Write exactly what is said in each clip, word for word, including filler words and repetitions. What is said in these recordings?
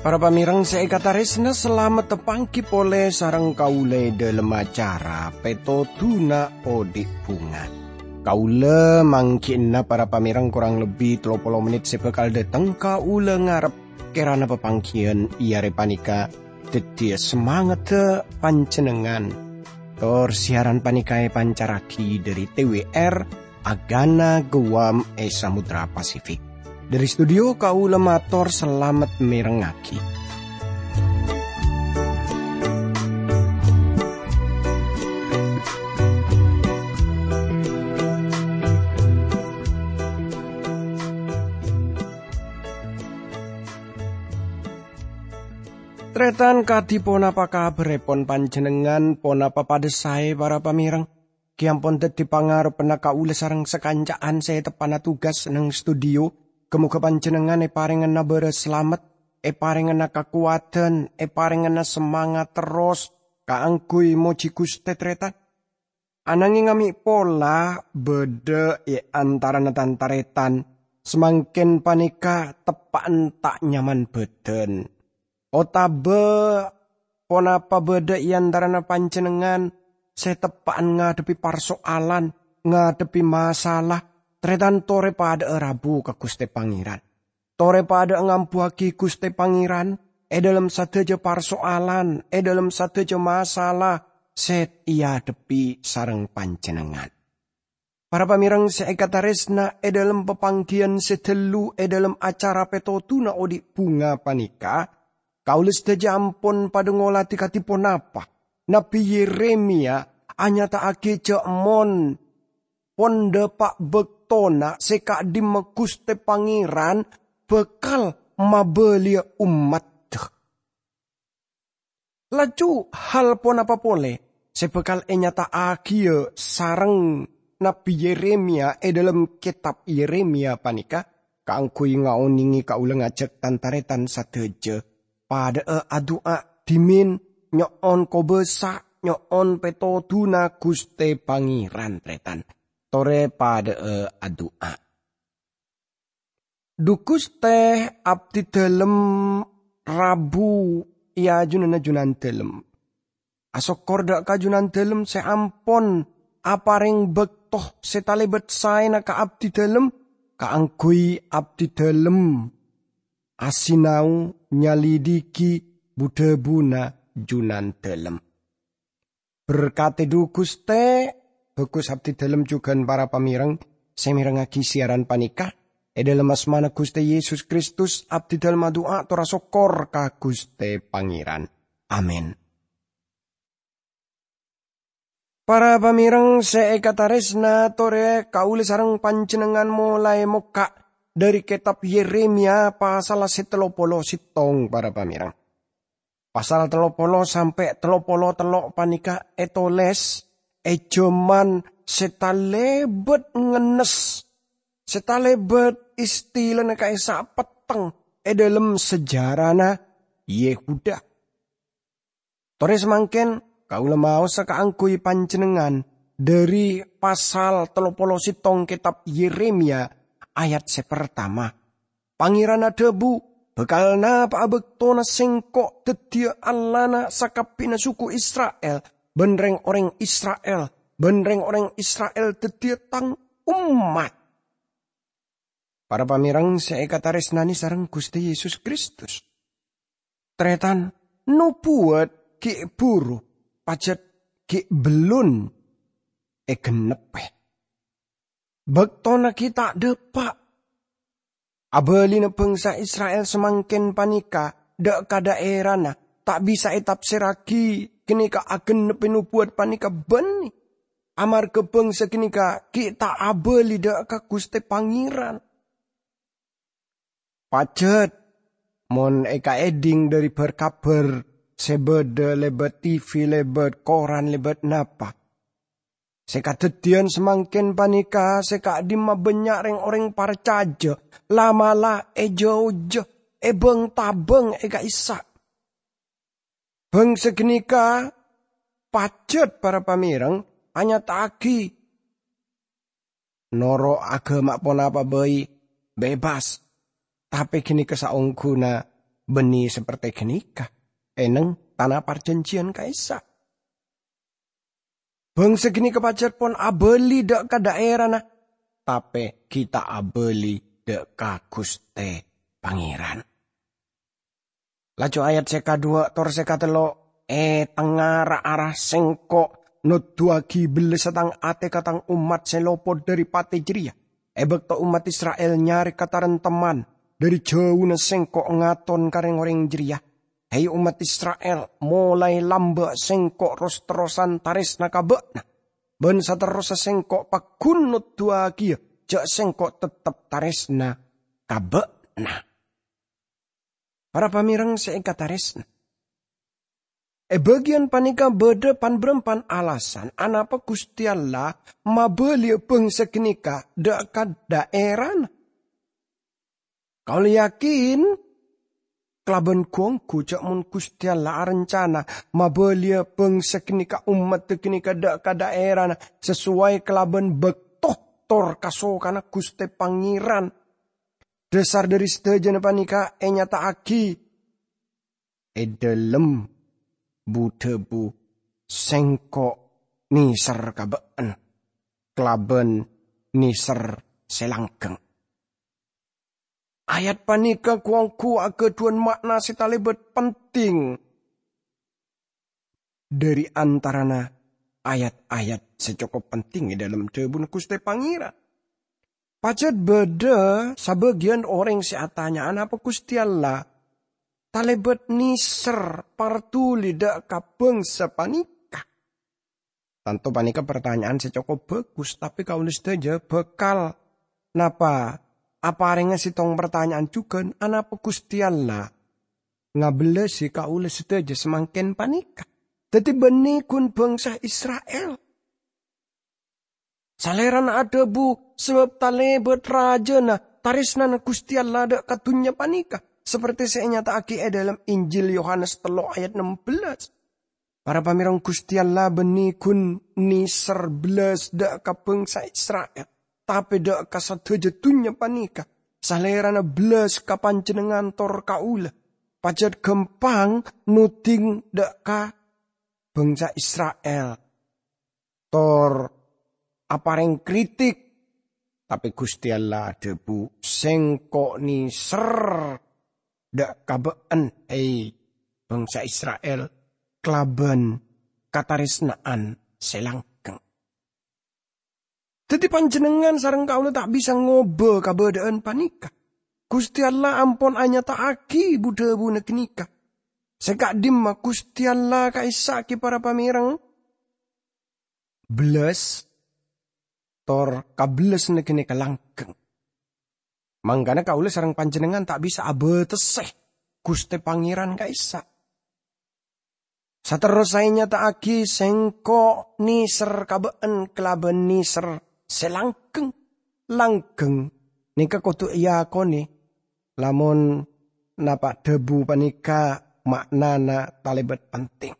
Para pamèrèng sè èkatarèsna, salamet tapangghi polè sareng kaulâ è dhâlem acara Pètodhuna Odi' Bhunga. Kaulâ mangghi'na para pamèrèng korang lebbi tello polo mennit sè bhâkal dhâteng. Kaulâ ngarep kèrana papangghiyân è arè panèka dhâddhiyâ samangaddhâ panjhennengngan. Tor siaran panèka èpancarraghi dhâri T W R Agana Guam è Samudra Pasifik. Dhâri studio kaulâ mator salamet mèrengngaghi. Tarètan, kadhi ponapa kabhârrèpon panjhennengngan? Ponapa padhâ saè, para pamèrèng? Ghi' ampon dhâddhi pangarebbhânna kaulâ sareng sakanca'an sè teppa'na tugas neng studio. Ghâ-mogâ panjhennengngan èparèngana bârâs salamet, èparèngana kakowadhân, èparèngana samangat terros kaangghuy mojhi Ghustè, tarètan. Ananghing amè' pola bâdâ è antarana tan-tarètan samangkèn panèka teppa'en ta' nyaman bhâdhân. Otabâ ponapa bâdâ è antarana panjhennengngan sè teppa'en ngadhebbhi parsoalan, ngadhebbhi masalah? Tarètan, torè padhâ'â rabu ka Ghustè Pangèran. Torè padhâ'â ngambuwâghi Ghustè Pangèran è dhâlem sadhâjâ parsoalan, è dhâlem sadhâjâ masalah sè èadhebbhi sareng panjhennengngan. Para pamèrèng sè èkatarèsna, è dhâlem papangghiyân sè ghâllu è dhâlem acara Pètodhuna Odi' Bhunga panèka, kaulâ sadhâjâ ampon padhâ ngolatè kadhi ponapa Nabbhi Yeremia anyata'aghi jhâ' mon pon dhâpa' bâktona sè ka'dhimma Ghustè Pangèran bhâkal mabâliyâ ommaddhâ. Laju hal ponapa polè sè bhâkal ènyata'aghiyâ sareng Nabbhi Yeremia è dhâlem kètab Yeremia panèka? Kaangghuy ngaonèngè kaulâ ngajhâk tan-tarètan sadhâjâ padhâ'â adu'a dhimèn nyo'on kobâsa, nyo'on pètodhuna Ghustè Pangèran, tarètan. Torè padhâ'â adu'a. Dhu Ghustè, abdhidhâlem rabu è ajunanna Junandhâlem. Asokkor dhâ' ka Junandhâlem sè ampon aparèng bâkto sè talèbât saèna ka abdhidhâlem, kaangghuy abdhidhâlem asinau nyalidhighi bu-dhâbuna Junandhâlem. Berkadhi dhu Ghustè, bhâghus abdhidhâlem jhughân para pamèrèng sè mèrengngaghi siaran panèka. È dhâlem asmana Ghustè Yesus Kristus, abdhidhâlem adu'a tor asokkor ka Ghustè Pangèran. Amin. Para pamèrèng sè èkatarèsna, torè kaulâ sareng panjhennengngan molaè mokka' dhâri kètab Yeremia pasalla sè tello polo sèttong, para pamèrèng. Pasal tello polo sampè' tello polo tello' panèka ètolès è jhâman sè talèbât ngennes, sè talèbât istilana ka'issa' petteng è dhâlem sejarana Yehuda. Torè samangkèn kaulâ maosa kaangghuy panjhennengngan dhâri pasal tello polo sèttong kètab Yeremia, ayat sè partama. Pangèran adhâbu, "Bhâkal napa'a bâktona Sèngko' dhâddhiyâ Allahna sakabbhiyânna suku Isra'il, bân rèng-orèng Isra'il, bân rèng-orèng Isra'il dhâddhiyâ Tang ommat." Para pamèrèng sè èkatarèsnanè sareng Ghustè Yesus Kristus. Tarètan, nobuwât ghi' buru, pajhât ghi' bellun ègennebbhi. Bâktona ghi' ta' dhâpa'. Abâlina bhângsa Isra'il samangkèn panèka dhâ' ka dhaèrana ta' bisa ètafsèrraghi ghânèka agennebbhi nobuwât panèka bânnè, amarghâ bhângsa ghânèka ghi' ta' abâli dhâ' ka Ghustè Pangèran. Pajhât, mon èkaèdhing dhâri bhâr-kabhâr sè bâdâ lèbât T V, lèbât koran, lèbât napa, sè kadhâddhiyân samangkèn panèka sè ka'dhimma bânnya' rèng-orèng parcajâ la'-mala' èjhâujâ, èbâng-tabâng è ka'issa'. Bhângsa ghânèka pajhât para pamèrèng anyata'aghi noro' aghâma ponapa bhâi bebas, tapè ghânèka saongghuna bânnè saperte ghânèka è neng tana parjhânjhiyân ka'issa'. Bhângsa ghânèka pajhât pon abâli dhâ' ka dhaèrana, tapè ghi' ta' abâli dhâ' ka Ghustè Pangèran. Laju ayat sè kadhuwâ' tor sè katello', "È tengnga ra-ara Sèngko' noddhuwâghi bellâssa Tang atè ka Tang ommat sè lopot dhâri patè jârèya, è bâkto ommat Isra'il nyarè katarèmtemman dhâri jhâuna Sèngko' ngaton ka rèng-orèng jârèya. Hè, ommat Isra'il, molaè lambâ' Sèngko' ros-terrosan tarèsna ka bâ'na, bân saterrossa Sèngko' pagghun noddhuwâghiyâ jhâ' Sèngko' teptep tarèsna ka bâ'na." Para pamèrèng sè èkatarèsna, è bâgiyân panèka bâdâ pan-bârâmpan alasan anapa Ghustè Allah mabâliyâ bhângsa ghânèka dhâ' ka dhaèrana. Kaulâ yakin kalabân ghu-ongghu jhâ' mon Ghustè Allah arencana mabâliyâ bhângsa ghânèka, ommaddhâ ghânèka dhâ' ka dhaèrana sasowai kalabân bâkto tor kasokanna Ghustè Pangèran. Dhâsar dhâri sadhâjâna panèka ènyata'aghi è dhâlem bu-dhâbu, "Sèngko' nèser ka bâ'na kalabân nèser sè langghâng." Ayat panèka ghu-ongghu aghâdhuwân ma'na sè talèbât penting dhâri antarana ayat-ayat sè cokop penting è dhâlem dhâbuna Ghustè Pangèran. Pajhât bâdâ sabâgiyân orèng sè atanya, "Anapa Ghustè Allah talèbât nèser, partolè dhâ' ka bhângsa panèka?" Tanto panèka partanya'an sè cokop bhâghus, tapè kaulâ sadhâjâ bhâkal napa aparèngnga sèttong partanya'an jhughân, "Anapa Ghustè Allah ngabellâsi kaulâ sadhâjâ samangkèn panèka?" Dhâddhi bânnè ghun bhângsa Isra'il. Salèrana adhâbu, "Sabâb talèbât rajâna tarèsnana Ghustè Allah dhâ' ka dhunnya panèka," saperte sè ènyata'aghi è dhâlem Injil Yohanes tello' ayat nem bellâs. Para pamèrèng, Ghustè Allah bânnè ghun nèser bellâs dhâ' ka bhângsa Isra'il, tapè dhâ' ka sadhâjâ dhunnya panèka, Salèrana bellâs ka panjhennengngan tor kaulâ. Pajhât ghâmpang nodhing dhâ' ka bhângsa Isra'il tor aparèng kritik. Tapè Ghustè Allah adhâbu, "Sèngko' nèser dhâ' ka bâ'na, hè, bhângsa Isra'il, kalabân katarèsna'an sè langghâng." Dhâddhi, panjhennengngan sareng kaulâ ta' bisa ngobâ kabâdâ'ân panèka. Ghustè Allah ampon anyata'aghi bu-dhâbuna ghânèka. Sè ka'dimma Ghustè Allah ka'issa' ghi para pamèrèng? Bellâs tor kabellâsânna ghânèka langghâng. Mangkana kaulâ sareng panjhennengngan ta' bisa abâtessè Ghustè Pangèran ka'issa'. Saterrossa ènyata'aghi, "Sèngko' nèser ka bâ'na kalabân nèser sè langghâng." Langghâng nèka kodhu èakonè, lamon napa' dhâbu panèka ma'nana talèbât penting.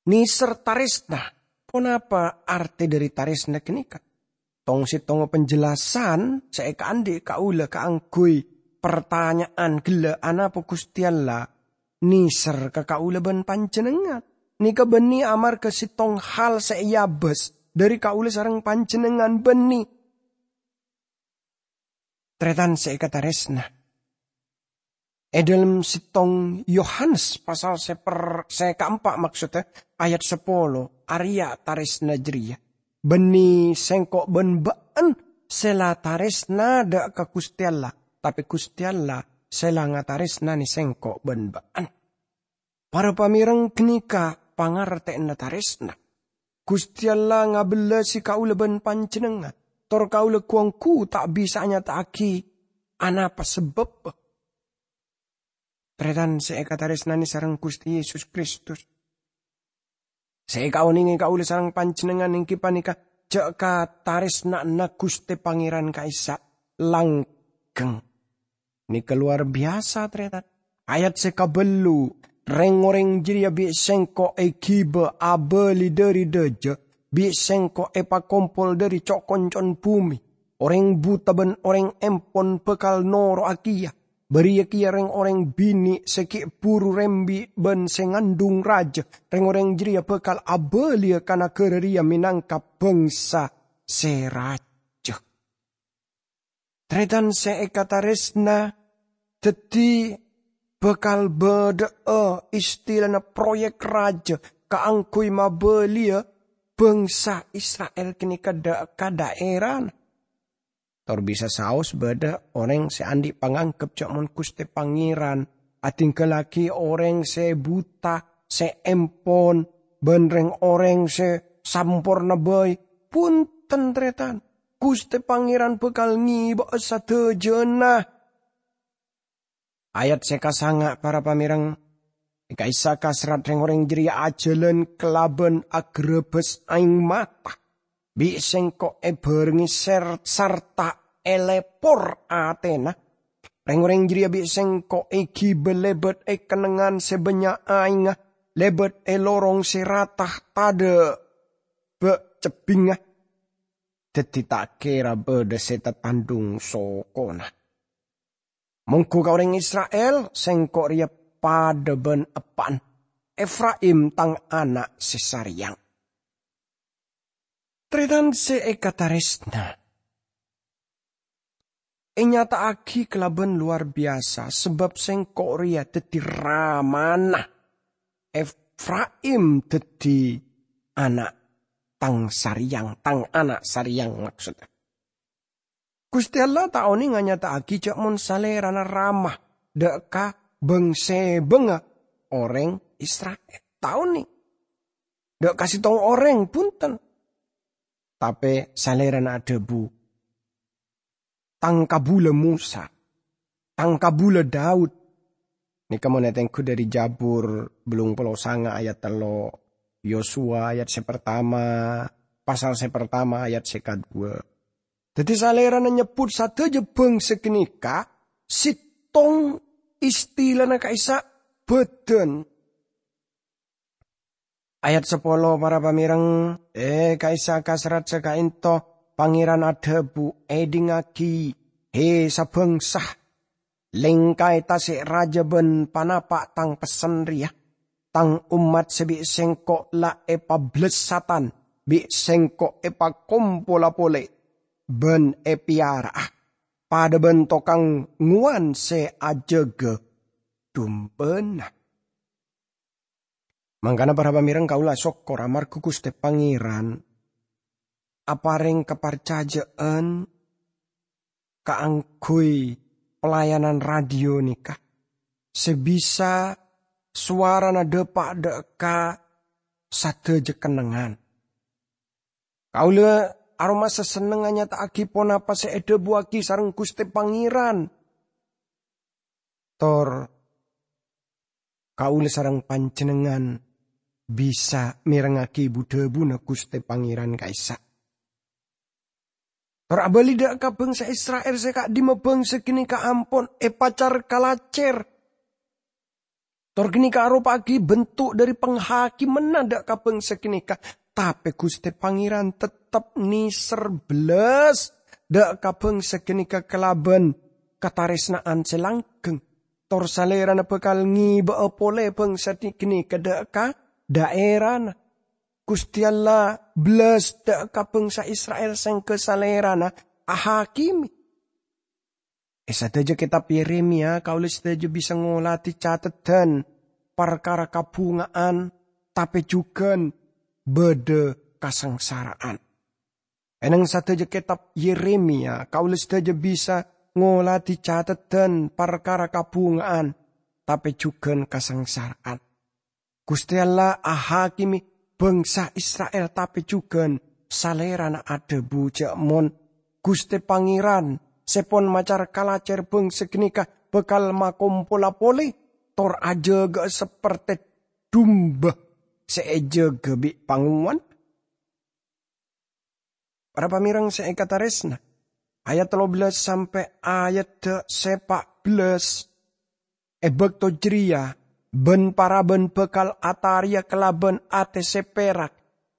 Nèser tarèsna. Ponapa artè dhâri tarèsna ghânèka? Tong-settongnga penjelasan sè èkaandhi' kaulâ kaangghuy partanya'an ghellâ', anapa Ghustè Allah nèser ka kaulâ bân panjhennengngan? Nèka bânnè amarghâ settong hal sè èabâs dhâri kaulâ sareng panjhennengngan bânnè. Tarètan sè èkatarèsna. È dhâlem settong Yohanes pasal sè per-, sè kaempa', maksodda, ayat sapolo, arèya tarèsna jârèya. Bânnè sèngko' bân bâ'na sè la tarèsna dhâ' ka Ghustè Allah, tapè Ghustè Allah sè la ngatarèsnanè sèngko' bân bâ'na. Para pamèrèng, ghânèka pangartè'anna tarèsna. Ghustè Allah ngabellâsi kaulâ bân panjhennengngan, tor kaulâ ghu-ongghu ta' bisa anyata'aghi anapa sabâbbhâ. Tarètan sè èkatarèsnanè sareng Ghustè Yesus Kristus. Sè èkaonèngè kaulâ sareng panjhennengngan èngghi panèka jhâ' katarèsna'anna Ghustè Pangèran ka'issa' langghâng. Nèka lowar biyasa, tarètan. Ayat sè kabâllu, Reng-oreng jareya bi' Sengko' egiba abali dhari dhaja, bi' Sengko' epakompol dhari co'-koncon bume. Oreng buta ban oreng empon bakal noro'a keya. Bariya keya reng-oreng binè' se gi' buru rembi' ban se ngandhung raja. Reng-oreng jareya bakal abaliya ka nagara reya menangka bangsa se raja. Taretan se ekataresna, daddi bakal badha'a istilana proyek raja kaangguy mabaliya bangsa Isra'il ganeka dha'-, ka dhaerana. Tor bisa saos badha oreng se andhi' panganggep ja' mon Guste Pangeran adinggallagi oreng se buta, se empon, ban reng-oreng se samporna bai. Punten, taretan, Guste Pangeran bakal ngeba'a sadajana. Ayat se kasanga', para pamereng, e ka'issa' kaserrat reng-oreng jareya ajalan kalaban agrabas aeng mata. Bi' Sengko' ebarengnge ser-, sarta elepor atena. Reng-oreng jareya bi' Sengko' egiba lebat e kennengngan se bannya' aengnga, lebat e lorong se rata tadha' ba' cebbingnga. Daddi ta' kera badha se tatandhung sokona. Monggu ka oreng Isra'il, Sengko' reya padha ban eppa'na, Efraim tang ana' se sareyang. Taretan se ekataresna, enyata'agi kalaban lowar biyasa, sabab Sengko' reya daddi ramana. Efraim daddi ana' tang sareyang, tang ana' sareyang, maksodda. Guste Allah ta' oneng anyata'agi ja' mon Salerana rama dha' ka bang-sebanga oreng Isra'il. Ta' oneng. Dha' ka settong oreng, bunten. Tape Salerana adhabu, "Tang kabula Mosa, tang kabula Daud." Neka mon etenggu dhari Jabur bellung polo sanga ayat tello', Yosua ayat se pertama, pasal se pertama ayat se kadua. Daddi Salerana nyebbut sadaja bangsa ganeka settong istilana ka'issa' badan. Ayat sapolo, para pamereng, e ka'issa' kaserrat se ka'ento, Pangeran adhabu, "Edhingngagi, he sabangsa, lengkae tase' raja ban panapa' tang pessen reya. Tang ommat se bi' Sengko' la epabellessatan, bi' Sengko' epakompola pole ban epeyara'a, padha ban tokang ngowan se ajaga dumbana." Mangkana, para pamereng, kaula sokkor amarga Guste Pangeran apareng kaparcaja'an kaangguy pelayanan radio neka, se bisa sowarana dapa' dha' ka sadaja kennengngan. Kaula aromasa senneng anyata'agi ponapa se edhabuwagi sareng Guste Pangeran. Tor kaula sareng panjennengngan bisa merengngagi bu-dhabuna Guste Pangeran ka'issa'. Tor abali dha' ka bangsa Isra'il se ka'dhimma bangsa ganeka ampon epacar kalacer. Tor ganeka aropa'agi bentuk dhari panghakimanna dha' ka bangsa ganeka. Tape Guste Pangeran teptep neser bellas dha' ka bangsa ganeka kalaban kataresna'an se langgeng. Tor Salerana bakal ngeba'a pole bangsa di-, ganeka dha' ka dhaerana. Guste Allah bellas dha' ka bangsa Isra'il sengga Salerana ahakime. E sadaja ketab Yeremia, kaula sadaja bisa ngoladi cateddhan parkara kabhunga'an, tape jugan badha kasangsara'an. E neng sadaja ketab Yeremia, kaula sadaja bisa ngoladi cateddhan parkara kabhunga'an, tape jugan kasangsara'an. Guste Allah ahakime bangsa Isra'il, tape jugan Salerana adhabu ja' mon Guste Pangeran se pon macar kalacer bangsa ganeka bakal makompola pole tor ajaga'a saperte dumba se ejaga bi' pangowan. Para pamereng se ekataresna, ayat tello bellas sampe' ayat se pa' bellas. E bakto jareya, Bân-parabân bhâkal atarèya kalabân atè sè pèrak,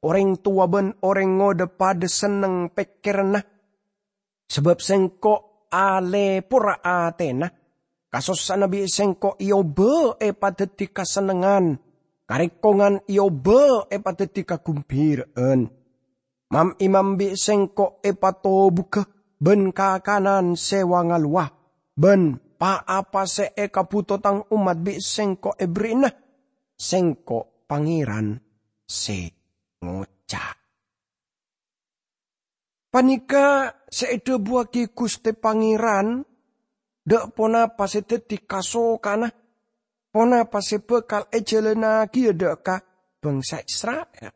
orèng towa bân orèng ngodâ padâ senneng pèkkèranna, sabâb Sèngko' alèpora atèna. Kasossa'anna bi' Sèngko' èobâ èpadhâddhi kasennengngan, karèkongan èobâ èpadhâddhi kagumbira'an. Mam-imam bi' Sèngko' èpatobughâ bân kakanan sè wa-ngalowa, bân pa-apa sè èkabhuto Tang ommat bi' Sèngko' èberri'ana. Sèngko' Pangèran sè ngoca'. Panèka sè èdhâbuwâghi Ghustè Pangèran, dâ' ponapa sè dhâddhi kasokana, ponapa sè bhâkal èjhâlânnaghi dâ' ka bhângsa Isra'il.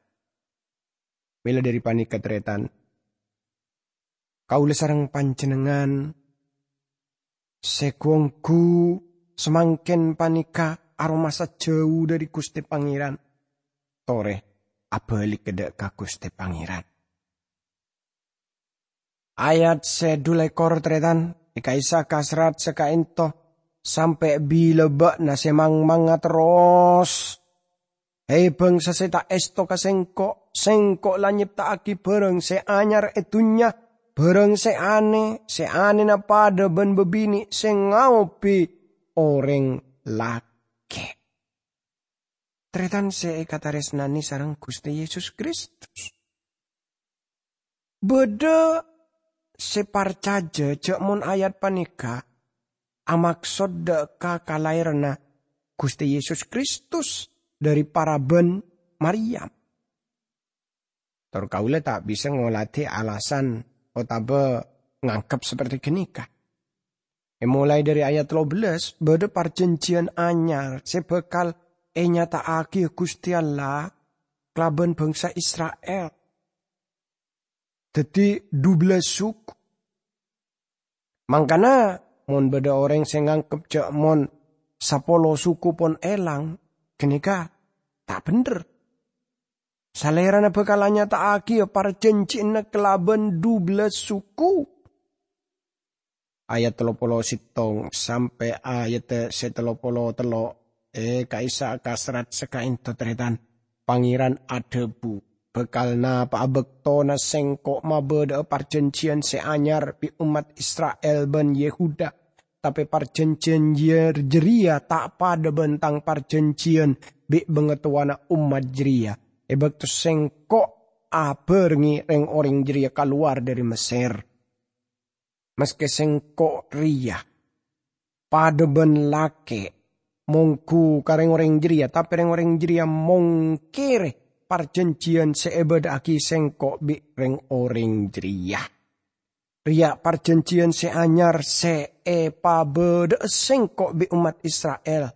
Mèla dhâri panèka, tarètan, kaulâ sareng panjhennengngan sè ghu-ongghu samangkèn panèka aromasa jhâu dhâri Ghustè Pangèran, torè abhâligghâ dâ' ka Ghustè Pangèran. Ayat sè dhu lèkor, tarètan, è ka'issa' ka serrat sè ka'ènto, sampè' bilâ bâ'na sè mang-manga terros. He, bhângsa sè ta' èsto ka Sèngko', Sèngko' la nyepta'aghi bhârâng sè anyar è dhunnya, bhârâng sè anè, sè anèna padâ bân bâbinè' sè ngaobi orèng lakè'. Tarètan sè èkatarèsnanè sareng Ghustè Yesus Kristus. Bâdâ sè parcajâ jhâ' mon ayat panèka amaksod dâ' ka kalaèranna Ghustè Yesus Kristus dhâri parabân Maryam. Tor kaulâ ta' bisa ngolatè alasan otabâ nganggep saperte ghânèka. Èmolaè dhâri ayat tello bellâs, bâdâ parjhânjhiyân anyar sè bhâkal ènyata'aghi Ghustè Allah kalabân bhângsa Isra'il. Dhâddhi, dubellâs suku. Mangkana, mon bâdâ orèng sè nganggep jhâ' mon sapolo suku pon èlang, ghânèka ta' bhendher. Salèrana bhâkal anyata'aghiyâ parjhânjhiyânna kalabân dubellâs suku. Ayat tello polo sèttong sampè' ayat sè tello polo tello' è ka'issa' ka serrat sè ka'ènto, tarètan. Pangèran adhâbu, "Bhâkal napa'a bâktona Sèngko' mabâdâ'â parjhânjhiyân sè anyar bi' ommat Isra'il bân Yehuda, tapè parjhânjhiyân jâ-, jârèya ta' padâ bân Tang parjhânjhiyân bi' bangatowana ommat jârèya, è bâkto Sèngko' abhârengngè rèng-orèng jârèya kalowar dhâri Messèr. Maskè Sèngko' rèya padâ bân lakè' mongghu ka rèng-orèng jârèya, tapè rèng-orèng jârèya mongkèrè parjhânjhiyân sè èbâdâ'aghi Sèngko' bi' rèng-orèng jârèya. Rèya parjhânjhiyân sè anyar sè èpabâdâ'â Sèngko' bi' ommat Isra'il.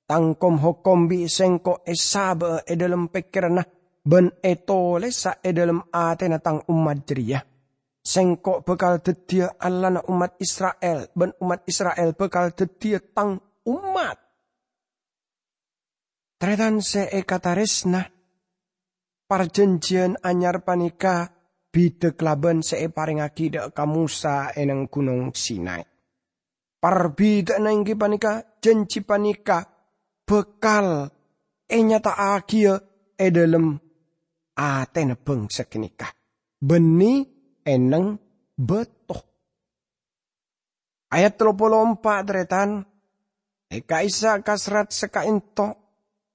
Tang kom-hokom bi' Sèngko' èsabâ'â è dhâlem pèkkèranna bân ètolèsa è dhâlem atèna Tang ommat jârèya. Sèngko' bhâkal dhâddhiyâ Allahna ommat Isra'il, bân ommat Isra'il bhâkal dhâddhiyâ Tang ommat." Tarètan sè èkatarèsna, parjhânjhiyân anyar panèka bhidhâ kalabân sè èparèngaghi dâ' ka Mosa è neng Ghunong Sinai. Parbidhâ'ânna èngghi panèka, jhânjhi panèka bhâkal ènyata'aghiyâ è dhâlem atèna bhângsa ghânèka, bânnè è neng bâto. Ayat tello polo empa', tarètan, è ka'issa' ka serrat sè ka'ènto,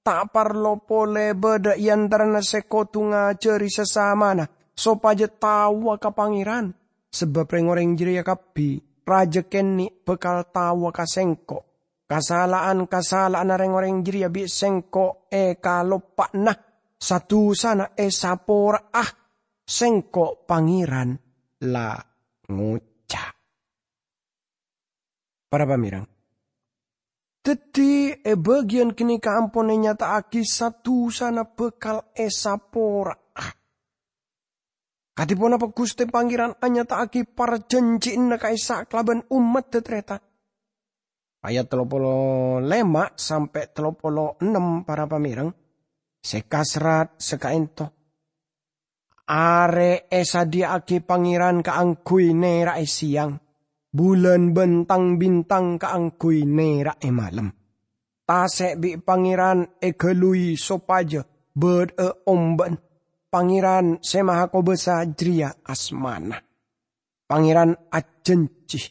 ta' parlo polè bâdâ è antarana sè kodhu ngajhâri sasamana sopajâ taowa ka Pangèran, sabâb rèng-orèng jârèya kabbhi, rajâ kènè' bhâkal taowa ka Sèngko'. Kasala'an-kasala'anna rèng-orèng jârèya bi' Sèngko' èkaloppa'ana, sa-dusana èsapora'a, Sèngko' Pangèran la ngoca'. Para pamèreng, dhâddhi è bâgiyân ghânèka ampon ènyata'aghi sa-dusana bhâkal èsapora'a. Kadhi ponapa Ghustè Pangèran anyata'aghi parjhânjhiyânna ka'issa' kalabân ommaddhâ, tarètan? Ayat tello polo lèma' sampè' tello polo ennem, para pamèreng, sè kaserrat sè ka'ènto. Arè èsadhiyâ'aghi Pangèran kaangghuy nèra'è sèyang, bulân bân tang-bintang kaangghuy nèra'è malem. tase' bi' Pangeran egaluy sopajâ bâdâ'â ombâ'na. Pangeran Se Mahakobâsa jârèya asmana. Pangeran ajhânjhi,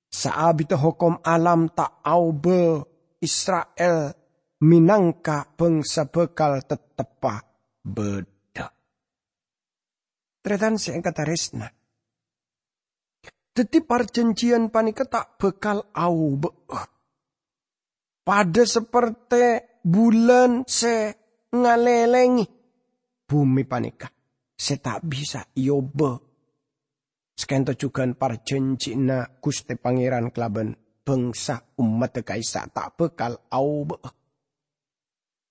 saabidda hokom alam ta' aobâ, Isra'il mènangka bhângsa bhâkal tetteppa bâdâ. Tarètan se èkatarèsna, dhâddhi parjhânjhiyân panèka ta' bhâkal aobâ'â. Padâ saperte bulân se ngalèlèngè bhumè panèka, se ta' bisa èobâ. Saka'ento jughân parjhânjhiyânna Guste Pangeran kalabân bangsa ommadda ka'issa' ta' bakal aobâ'â.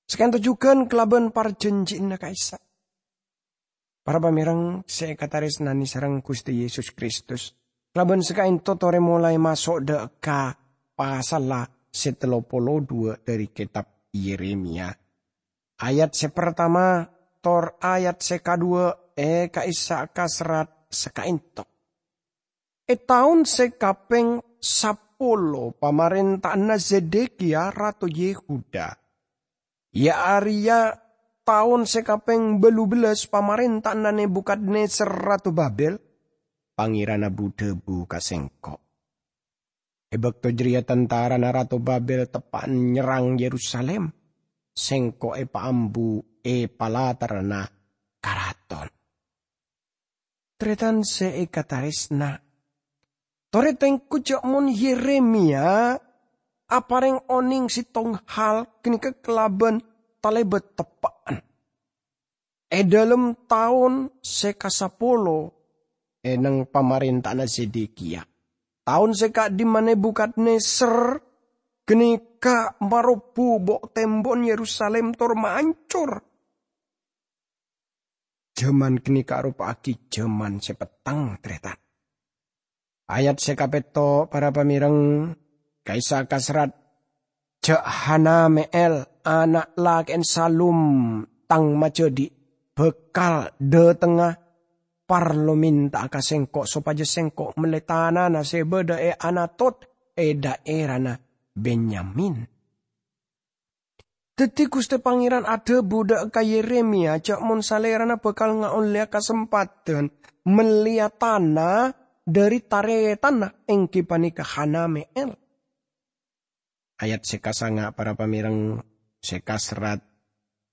Saka'ento jughân kalabân parjhânjhiyânna ka'issa'. Para pamèreng se èkataresnane sareng Guste Yesus Kristus, kalabân saka'ento tore molae maso' dha' ka pasalla se tello polo dhu dhari Ketab Yeremia. Ayat se partama tor ayat se kadhuwa e ka'issa' kaserrat saka'ento. E taon se kapeng sapolo pamarenta'anna Zedekia, rato Yehuda, iya areya taon se kapeng bâllu bellas pamarenta'anna Nebukadnezar, rato Babel, Pangeran abu-dhabu ka sengko', "E bakto jareya tantarana rato Babel teppa'an nyerrang Yerusalim, sengko' epaambu e palatarana karaton." Taretan se ekataresna, tore tengku ja' mon Yeremia apareng oneng settong hal ganeka kalaban talebat teppa'an. E dhalem taon se kasapolo e neng pamarenta'anna Zedekia, taon se ka'dimma Nebukadnezar ganeka marobbu bo'-tembo'an Yerusalim tor maancor. Jaman ganeka aropa'agi jaman se petteng, taretan. Ayat se kapetto, para pamèreng, ka'issa' kaserrat, "Ja' Hanameel, ana' lake'en Salum, tang majadhi', bakal dhatengnga parlo menta'a ka sengko' sopaja sengko' melle tanana se badha e Anatot e dhaerana Benyamin." Daddi Guste Pangeran adhabu dha' ka Yeremia ja' mon salerana bakal ngaolleya kasempadhan melleya tana dhari taretanna, enggi paneka Hanameel. Ayat se kasanga, para pamèreng, se kaserrat,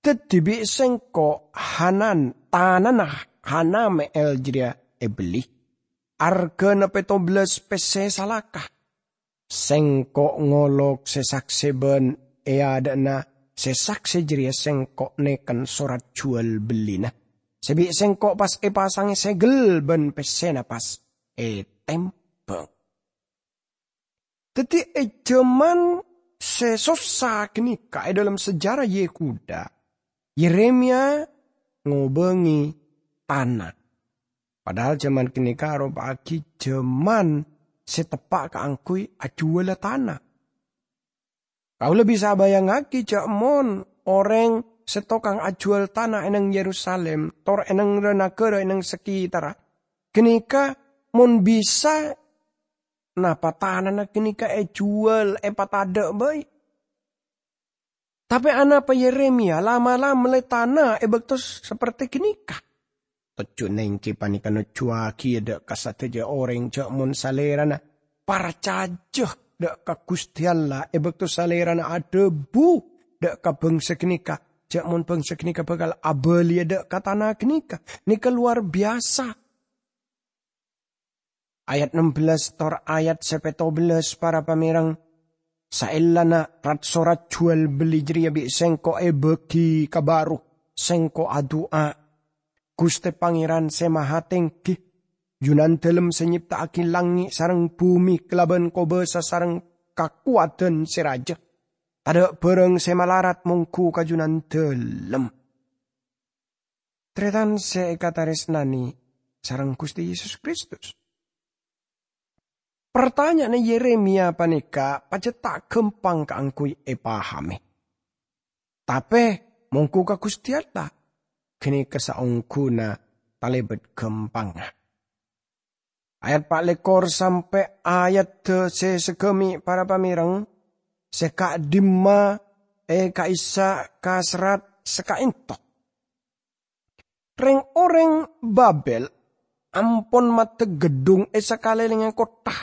"Daddi bi' sengko' Hanan, tanana Hanameel jareya ebelli, argana petto bellas pesse salaka. Sengko' ngolok se sakse ban e adha'na se sakse jareya sengko' neken sorat juwal bellina, se bi' sengko' pas epasange segel ban pessena pas etembang." Daddi, e jaman se sossa ganeka e dhalem sejarah Yehuda, Yeremia ngobange tana. Padahal jaman ganeka aropa'agi jaman se teppa' kaangguy ajuwala tana. Kaula bisa abayangngagi ja' mon oreng se tokang ajuwal tana e neng Yerusalim, tor e neng ra-nagara e neng saketarra, ganeka mon bisa, napa tanana ganeka ejuwal, epatadha' bai? Tape anapa Yeremia la'-mala' melle tana e bakto saperte ganeka? Tojjhuna enggi paneka nojjuwagi dha' ka sadaja oreng ja' mon salerana parcaja dha' ka Guste Allah e bakto salerana adhabu dha' ka bangsa ganeka ja' mon bangsa ganeka bakal abaliya dha' ka tana ganeka. Neka lowar biyasa. Ayat nem bellas tor ayat se petto bellas, para pamèreng, saellana rat-sorat juwal belli jareya bi' sengko' ebagi ka bharu, sengko' adu'a. Guste Pangeran Se Mahatenggi, Junandalem se nyepta'agi langnge' sareng bume kalaban kobasa sareng kakowadan se raja, tadha' barang se malarat monggu ka Junandalem. Taretan se ekataresnane sareng Guste Yesus Kristus. Partanya'anna Yeremia paneka pajat ta' gampang kaangguy epahame. Tape, monggu ka Guste Allah, ganeka saongghuna talebat gampangnga. Ayat pa' lekkor sampe' ayat se sagame, para pamèreng, sè ka'dimma è ka'issa' ka serrat sè ka'ento. Reng-oreng Babel ampon maddek geddhung è sakalèlèngnga kottha.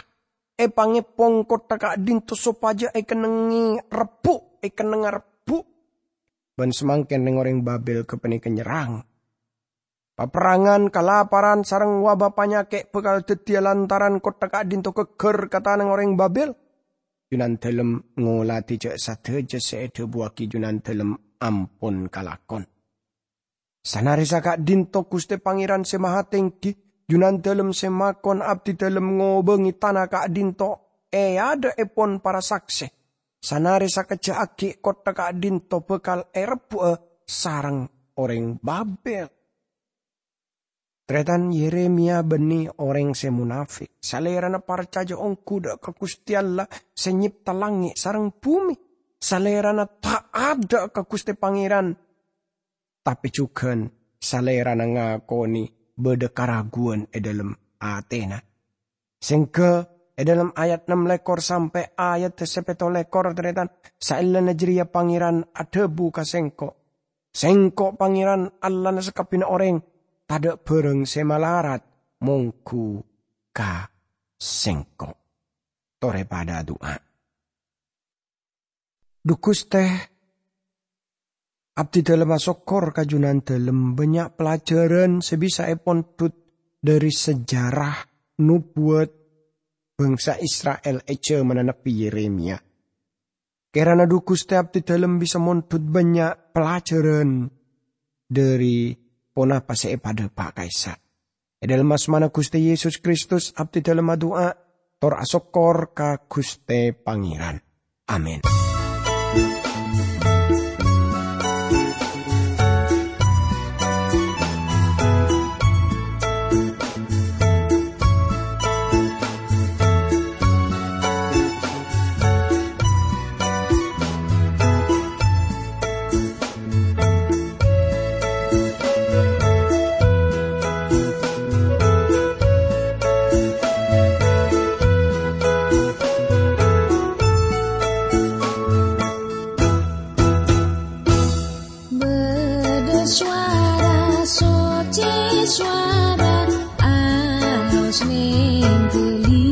Èpangèpong kottha ka'dinto sopajâ èkennengngè rebbhu', èkennengnga rebbhu'. Bân samangkèn reng-oreng Babel ghâpanèka nyerrang. Paperrangan, kalaparan, sareng wabâ panyakè' bhâkal dhâddhiyâ lantaran kottha ka'dinto ghâgghâr ka tanang orèng Babel. Junandâlem ngoladhi jâ' sadhâjâ sè èdhâbuwâghi Junandâlem ampon kalakon. Sanarèsa ka'dinto Ghustè Pangèran Sè Mahatèngghi, Junandâlem sè makon abdidâlem ngobângè tana ka'dinto è adâ'èpon para saksè. Sanarè sakejjhâ' aghi' kottha ka'dinto bhâkal èrebbhu'â sareng orèng Babel. Tarètan, Yeremia bânnè orèng sè monafèk. Salèrana parcajâ ongghu dâ' ka Ghustè Allah sè nyèpta langngè' sareng bhumè. Salèrana ta'at dâ' ka Ghustè Pangèran, tapè jhughân salèrana ngakonè bâdâ karaguwan è dâlem atèna. Sèngghâ è dâlem ayat ennem lèkor sampè' ayat sè pètto lèkor, tarètan, saellana jârèya Pangèran adhâbu ka sèngko', "Sèngko' Pangèran Allahna sakabbhiyânna orèng, tadâ' bhârâng sè malarat mongghu ka sèngko'." Torè padâ adu'a. Dhu Ghustè, abdidâlem asokkor ka Junandâlem bânnya' pelajaran sè bisa èpondhut dâri sejarah nobuwat bangsa Isra'il è jhâmanna Nabbhi Yeremia. Kèrana dhu Ghustè abdidâlem bisa mondhut bânnya' pelajaran dâri ponapa sè èpadâpa' ka'issa'. È dâlem asmana Ghustè Yesus Kristus, abdidâlem adu'a, tor asokkor ka Ghustè Pangèran. Amin. Bâdâ sowara soccè, sowara alos nèngghâli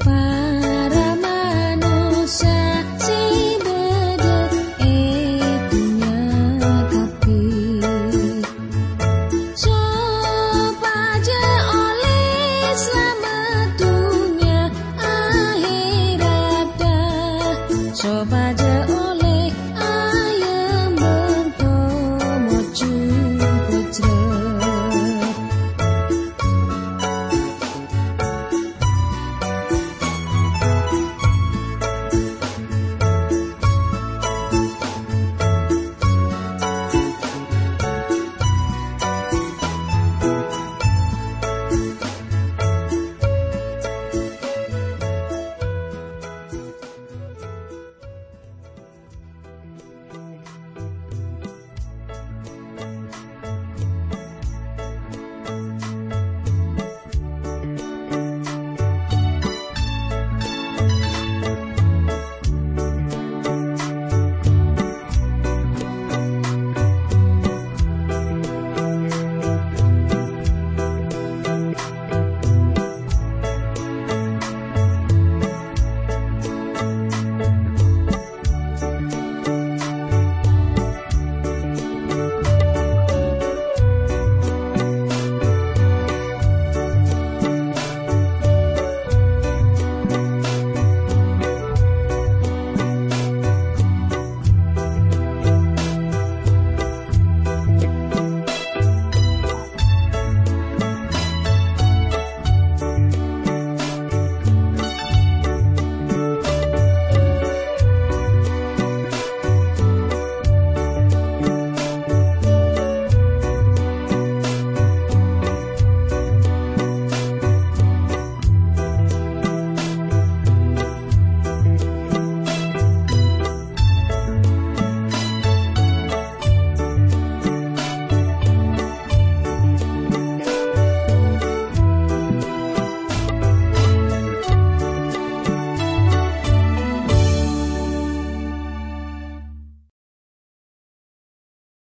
para manossa sè bâdâ è dhunnya kabbhi, sopajâ ollè salamet dhunnya ahèratta, sopajâ